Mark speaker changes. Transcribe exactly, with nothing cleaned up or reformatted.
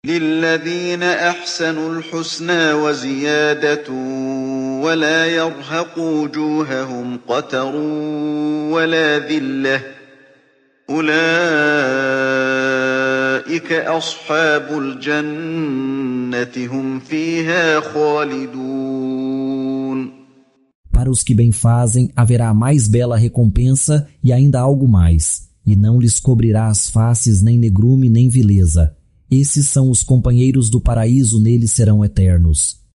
Speaker 1: للذين أحسنوا الحسنى وزيادة ولا يرهق وجوههم قتر ولا ذلة أولئك أصحاب الجنة هم فيها خالدون.
Speaker 2: Para os que bem fazem, haverá a mais bela recompensa e ainda algo mais, e não lhes cobrirá as faces nem negrume nem vileza. Esses são os companheiros do paraíso, neles serão eternos.